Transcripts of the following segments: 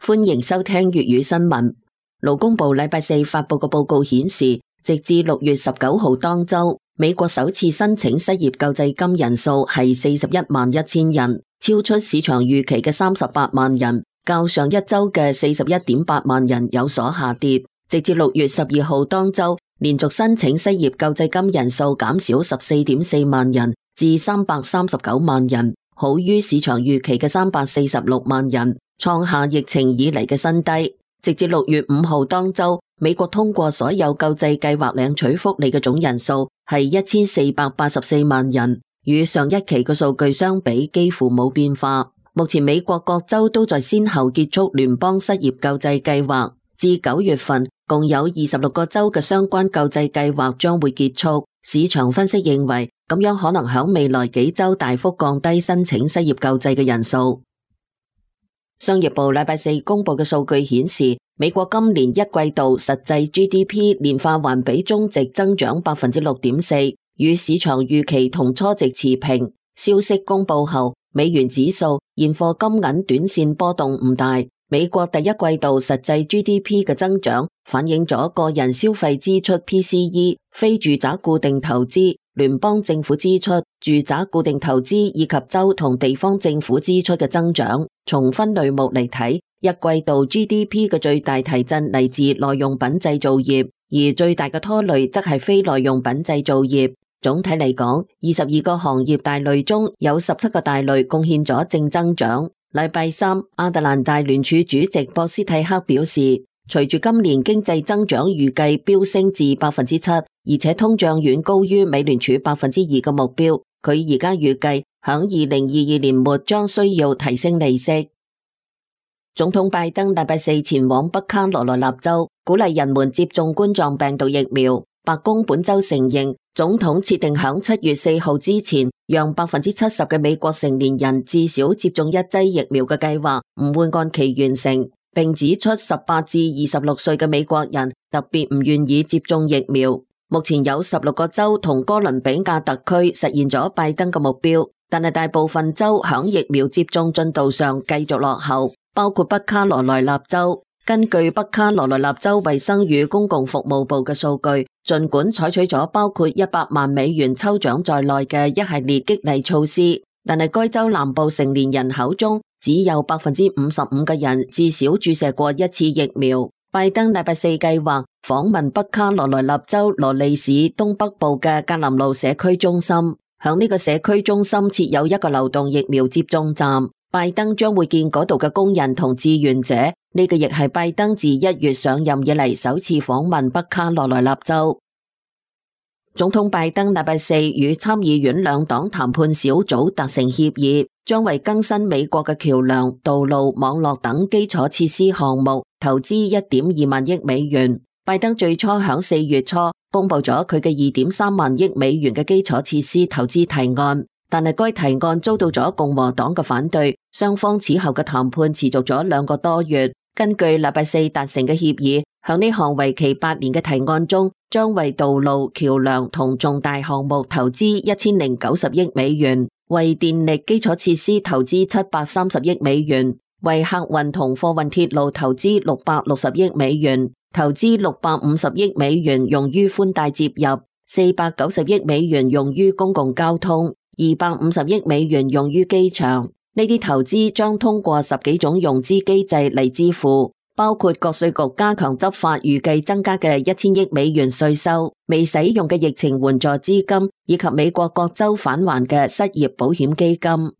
歡迎收聽粵語新聞。勞工部禮拜四發佈嘅報告顯示，直至6月19號當周，美國首次申請失業救濟金人數係411000人，超出市場預期嘅38萬人，較上一周嘅41.8萬人有所下跌。直至6月12號當周，連續申請失業救濟金人數減少14.4萬人至339萬人，好於市場預期嘅346萬人，創下疫情以嚟嘅新低。直至6月5號當周，美國通過所有救濟計劃領取福利嘅總人數係1484萬人，與上一期嘅數據相比幾乎冇變化。目前美國各州都在先後結束聯邦失業救濟計劃，至9月份共有26個州嘅相關救濟計劃將會結束。市場分析認為，咁樣可能響未來幾周大幅降低申請失業救濟嘅人數。商業部禮拜四公布嘅數據顯示，美國今年一季度實際 GDP 年化環比中值增長 6.4%， 與市場預期同初值持平。消息公布後，美元指數、現貨金銀短線波動唔大。美國第一季度實際 GDP 嘅增長反映咗個人消費支出 PCE、非住宅固定投資、聯邦政府支出、住宅固定投資以及州同地方政府支出嘅增長。從分類目嚟睇，一季度 GDP 嘅最大提振嚟自耐用品製造業，而最大嘅拖累則係非耐用品製造業。總體嚟講，22個行業大類中有17個大類貢獻咗正增長。禮拜三，亞特蘭大聯儲主席博斯蒂克表示，隨住今年經濟增長預計飆升至 7%， 而且通脹遠高於美聯儲 2% 嘅目標，佢而家預計響2022年末將需要提升利息。總統拜登禮拜四前往北卡羅來納州，鼓勵人們接種冠狀病毒疫苗。白宮本周承認，總統設定響7月4號之前，讓 70% 嘅美國成年人至少接種一劑疫苗嘅計劃唔會按期完成，並指出18至26歲嘅美國人特別唔願意接種疫苗。目前有16個州同哥倫比亞特區實現咗拜登嘅目標，但係大部分州響疫苗接種進度上繼續落後，包括北卡羅來納州。根據北卡羅來納州衛生與公共服務部嘅數據，儘管採取咗包括100萬美元抽獎在內嘅一系列激勵措施，但係該州南部成年人口中只有 55% 嘅人至少注射過一次疫苗。拜登禮拜四計劃訪問北卡羅來納州羅利市東北部嘅格林路社區中心，響呢個社區中心設有一個流動疫苗接種站。拜登將會見嗰度嘅工人同志願者，呢個亦係拜登自1月上任以嚟首次訪問北卡羅來納州。總統拜登禮拜四與參議院兩黨談判小組達成協議，將為更新美國嘅橋樑、道路、網絡等基礎設施項目投資 1.2 萬億美元。拜登最初響4月初公布咗佢嘅 2.3 萬億美元嘅基礎設施投資提案，但係該提案遭到咗共和黨嘅反對，雙方此後嘅談判持續咗2個多月。根據禮拜四達成嘅協議，響呢項為期8年嘅提案中，將為道路、橋樑同重大項目投資1090億美元，為電力基礎設施投資730億美元，為客運同貨運鐵路投資660億美元，投資650億美元用於寬帶接入，490億美元用於公共交通，250億美元用於機場。呢啲投資將通過10幾種融資機制嚟支付，包括國稅局加強執法預計增加嘅1000億美元稅收、未使用嘅疫情援助資金，以及美國各州返還嘅失業保險基金。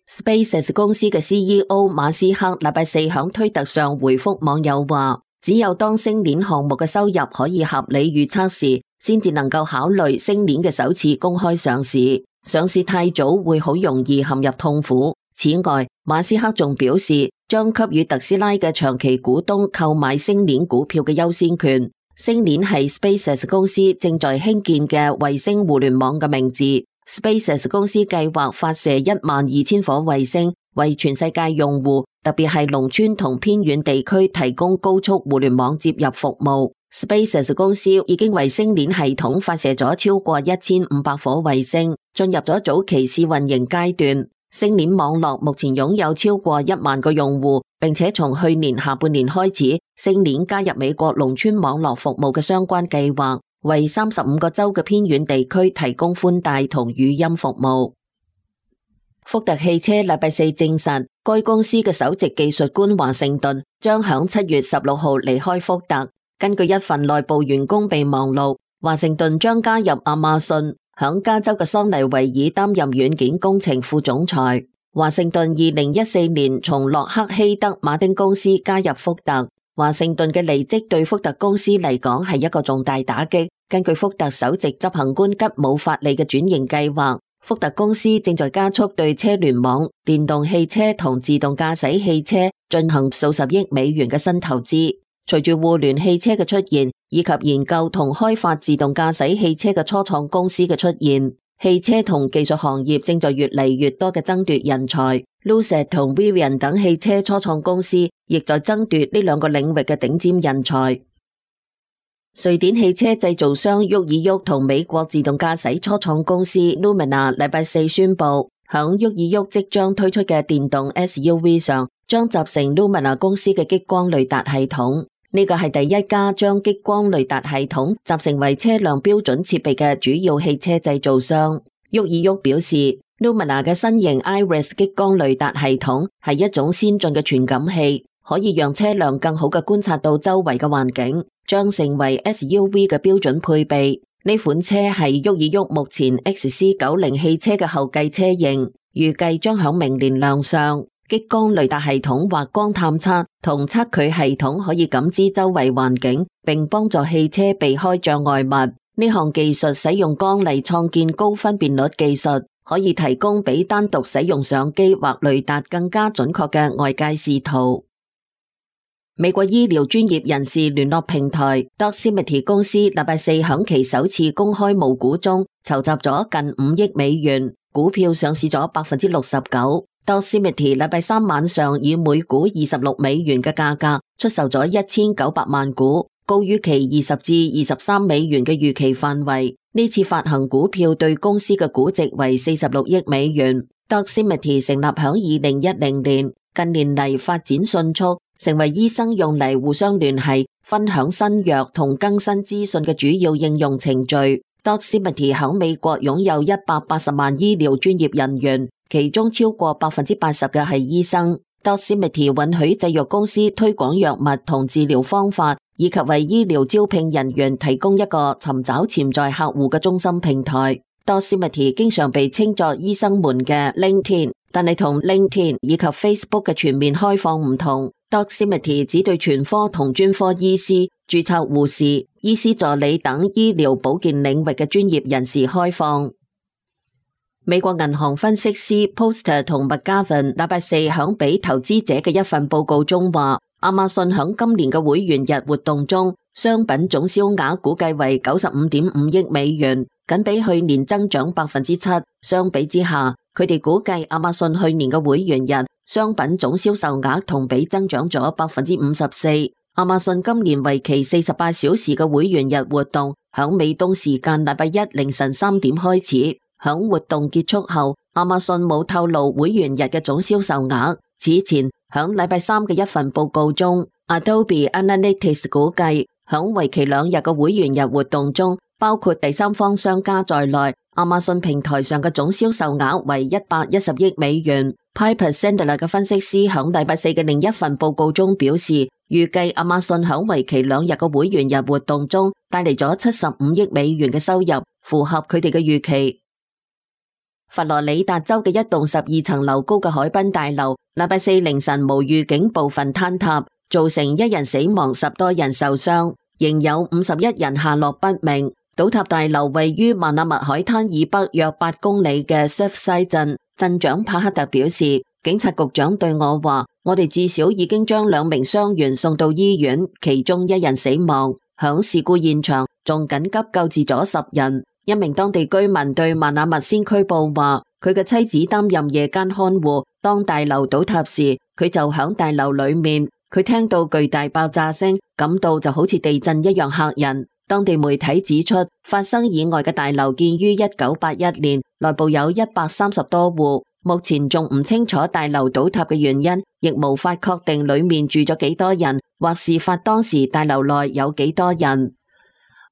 SpaceX 公司嘅 CEO 馬斯克禮拜四響推特上回覆網友話，只有當星鏈項目嘅收入可以合理預測時，先至能夠考慮星鏈嘅首次公開上市。上市太早會好容易陷入痛苦。此外，馬斯克仲表示將給予特斯拉嘅長期股東購買星鏈股票嘅優先權。星鏈係 SpaceX 公司正在興建嘅衛星互聯網嘅名字。SpaceX 公司計劃發射12000顆衛星，為全世界用戶，特別係農村同偏遠地區提供高速互聯網接入服務。SpaceX 公司已經為星鏈系統發射咗超過1500顆衛星，進入咗早期試運營階段。星鏈網絡目前擁有超過1萬個用戶，並且從去年下半年開始，星鏈加入美國農村網絡服務嘅相關計劃，為35個州嘅偏遠地區提供寬帶同語音服務。福特汽車禮拜四證實，該公司嘅首席技術官華盛頓將響7月16號離開福特。根據一份內部員工備忘錄，華盛頓將加入亞馬遜，響加州嘅桑尼維爾擔任軟件工程副總裁。華盛頓2014年從洛克希德馬丁公司加入福特。華盛頓嘅離職對福特公司嚟講係一個重大打擊。根據福特首席執行官吉姆法利嘅轉型計劃，福特公司正在加速對車聯網、電動汽車同自動駕駛汽車進行數十億美元嘅新投資。隨住互聯汽車嘅出現，以及研究同開發自動駕駛汽車嘅初創公司嘅出現，汽車同技術行業正在越嚟越多嘅爭奪人才。Lucid 同 Rivian 等汽車初創公司亦在爭奪呢兩個領域嘅頂尖人才。瑞典汽車製造商沃爾沃同美國自動駕駛初創公司 Lumina 禮拜四宣布，響沃爾沃即將推出嘅電動 SUV 上，將集成 Lumina 公司嘅激光雷達系統。呢個係第一家將激光雷達系統集成為車輛標準設備嘅主要汽車製造商。沃爾沃表示，Lumina 嘅新型 Iris 激光雷達系統係一種先進嘅傳感器，可以讓車輛更好嘅觀察到周圍嘅環境，將成為 SUV 嘅標準配備。呢款車係沃爾沃目前 XC90 汽車嘅後繼車型，預計將響明年亮相。激光雷達系統或光探測同測距系統可以感知周圍環境，並幫助汽車避開障礙物。呢項技術使用光嚟創建高分辨率技術，可以提供比單獨使用相機或雷達更加準確嘅外界視圖。美國醫療專業人士聯絡平台 Doximity 公司禮拜四響其首次公開募股中籌集咗近5億美元，股票上市咗 69%。Doximity 禮拜三晚上以每股26美元嘅價格出售咗1900萬股，高於其20至23美元嘅預期範圍。呢次發行股票對公司嘅估值為46億美元。Doximity 成立響2010年，近年嚟發展迅速，成為醫生用嚟互相聯繫、分享新藥同更新資訊嘅主要應用程序。Doximity 響美國擁有180萬醫療專業人員，其中超過80%嘅係醫生。Doximity 允許製藥公司推廣藥物同治療方法，以及為醫療招聘人員提供一個尋找潛在客戶嘅中心平台。Doximity 經常被稱作醫生們嘅 LinkedIn， 但係同 LinkedIn 以及 Facebook 嘅全面開放唔同。Doximity 只對全科同專科醫師、註冊護士、醫師助理等醫療保健領域嘅專業人士開放。美國銀行分析師 Poster 同 McGavin 禮拜四響俾投資者嘅一份報告中話，亞馬遜響今年嘅會員日活動中，商品總銷額估計為 95.5 億美元，僅比去年增長 7%。相比之下，佢哋估計亞馬遜去年嘅會員日商品總銷售額同比增長咗 54%。亞馬遜今年為期48小時嘅會員日活動，響美東時間禮拜一凌晨3點開始。響活動結束後，亞馬遜冇透露會員日嘅總銷售額。此前響禮拜三嘅一份報告中 ，Adobe Analytics 估計響為期2日嘅會員日活動中，包括第三方商家在內，亞馬遜平台上嘅總銷售額為110億美元。Piper Sandler 嘅分析師響禮拜四嘅另一份報告中表示，預計亞馬遜響為期2日嘅會員日活動中帶嚟咗75億美元嘅收入，符合佢哋嘅預期。佛羅里達州嘅一棟12層樓高嘅海濱大樓，禮拜四凌晨無預警部分坍塌，造成1人死亡，10多人受傷，仍有51人下落不明。倒塌大樓位於曼納密海灘以北約8公里嘅 Surfside 鎮，鎮長帕克特表示，警察局長對我話，我哋至少已經將2名傷員送到醫院，其中1人死亡。響事故現場仲緊急救治咗10人。一名當地居民對曼納密先驅報話，佢嘅妻子擔任夜間看護，當大樓倒塌時，佢就響大樓裏面，佢聽到巨大爆炸聲，感到就好似地震一樣嚇人。當地媒體指出，發生意外嘅大樓建於1981年，內部有130多戶，目前仲唔清楚大樓倒塌嘅原因，亦無法確定裏面住咗幾多人，或事發當時大樓內有幾多人。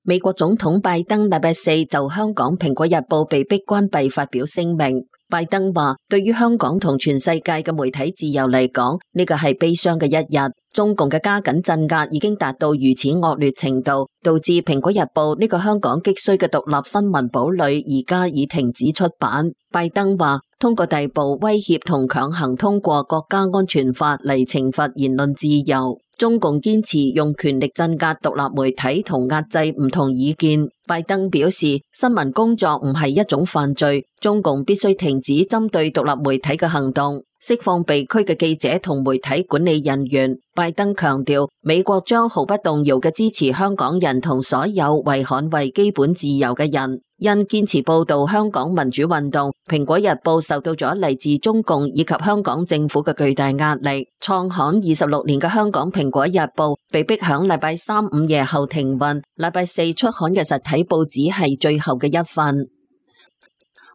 美國總統拜登禮拜四就香港《蘋果日報》被迫關閉發表聲明。拜登話：對於香港同全世界嘅媒體自由嚟講，呢個係悲傷嘅一日。中共嘅加緊鎮壓已經達到如此惡劣程度，導致《蘋果日報》呢個香港極需嘅獨立新聞堡壘而家已停止出版。拜登話：通過逮捕、威脅同強行通過國家安全法嚟懲罰言論自由。中共堅持用權力鎮壓獨立媒體同壓制唔同意見。拜登表示，新聞工作唔係一種犯罪，中共必須停止針對獨立媒體嘅行動，釋放被拘嘅記者同媒體管理人員。拜登強調，美國將毫不動搖嘅支持香港人同所有為捍衛基本自由嘅人。因堅持報導香港民主運動，蘋果日報受到咗嚟自中共以及香港政府嘅巨大壓力。創刊26年嘅香港蘋果日報被迫響禮拜三午夜後停運，禮拜四出刊嘅實體報紙係最後嘅一份。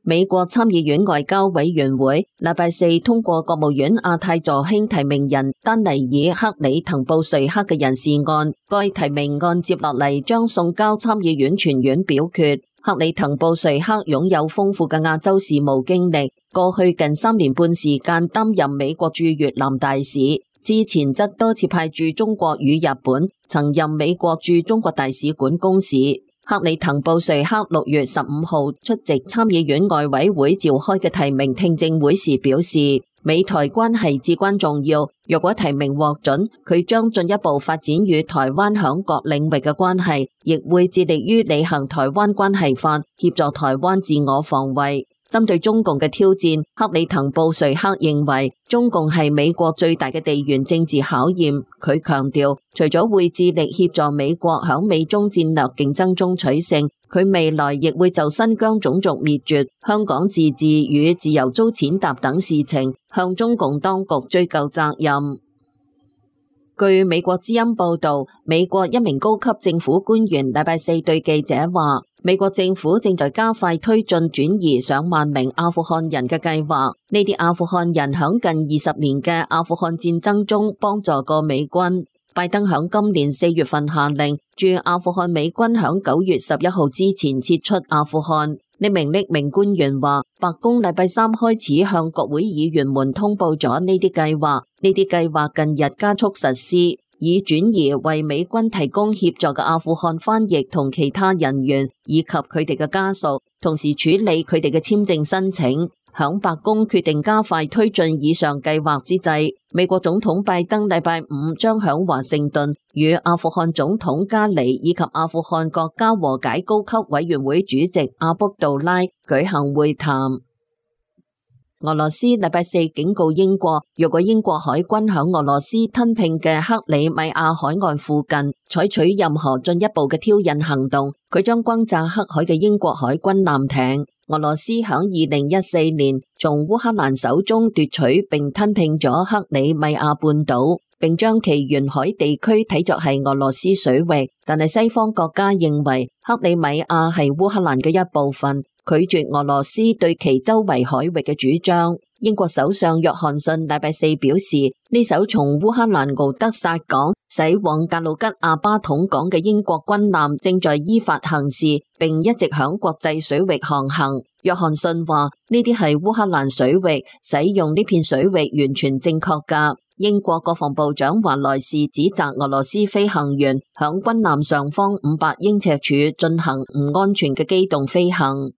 美國參議院外交委員會禮拜四通過國務院亞太助卿提名人丹尼爾·克里滕布瑞克嘅人事案，該提名案接落嚟將送交參議院全院表決。克里滕布瑞克擁有豐富嘅亞洲事務經歷，過去近3年半時間擔任美國駐越南大使，之前則多次派駐中國與日本，曾任美國駐中國大使館公使。克里滕布瑞克6月15號出席參議院外委會召開嘅提名聽證會時表示，美台關係至關重要，若果提名獲准，佢將進一步發展與台灣響各領域嘅關係，亦會致力於履行台灣關係法，協助台灣自我防衛。針對中共嘅挑戰，克里滕布瑞克認為中共係美國最大嘅地緣政治考驗。佢強調，除咗會致力協助美國響美中戰略競爭中取勝，佢未來亦會就新疆種族滅絕、香港自治與自由遭踐踏等事情向中共當局追究責任。據美國之音報道，美國一名高級政府官員禮拜四對記者話，美國政府正在加快推進轉移上萬名阿富汗人嘅計劃。呢啲阿富汗人響近20年嘅阿富汗戰爭中幫助過美軍。拜登響今年4月份下令駐阿富汗美軍響9月11號之前撤出阿富汗。呢名匿名官員話，白宮禮拜三開始向國會議員們通報咗呢啲計劃，呢啲計劃近日加速實施，以轉移為美軍提供協助嘅阿富汗翻譯同其他人員，以及佢哋嘅家屬，同時處理佢哋嘅簽證申請。響白宮決定加快推進以上計劃之際，美國總統拜登禮拜五將響華盛頓與阿富汗總統加里以及阿富汗國家和解高級委員會主席阿卜杜拉舉行會談。俄羅斯禮拜四警告英國，若果英國海軍響俄羅斯吞併嘅克里米亞海岸附近採取任何進一步嘅挑釁行動，佢將轟炸黑海嘅英國海軍艦艇。俄羅斯響2014年從烏克蘭手中奪取並吞併咗克里米亞半島，並將其沿海地區睇作係俄羅斯水域，但係西方國家認為克里米亞係烏克蘭嘅一部分，拒絕俄羅斯對其周圍海域嘅主張。英國首相約翰遜禮拜四表示，呢艘從烏克蘭敖德薩港駛往格魯吉亞巴統港嘅英國軍艦正在依法行事，並一直響國際水域航行。約翰遜話，呢啲係烏克蘭水域，使用呢片水域完全正確㗎。英國國防部長華萊士指責俄羅斯飛行員響軍艦上方500英尺處進行唔安全嘅機動飛行。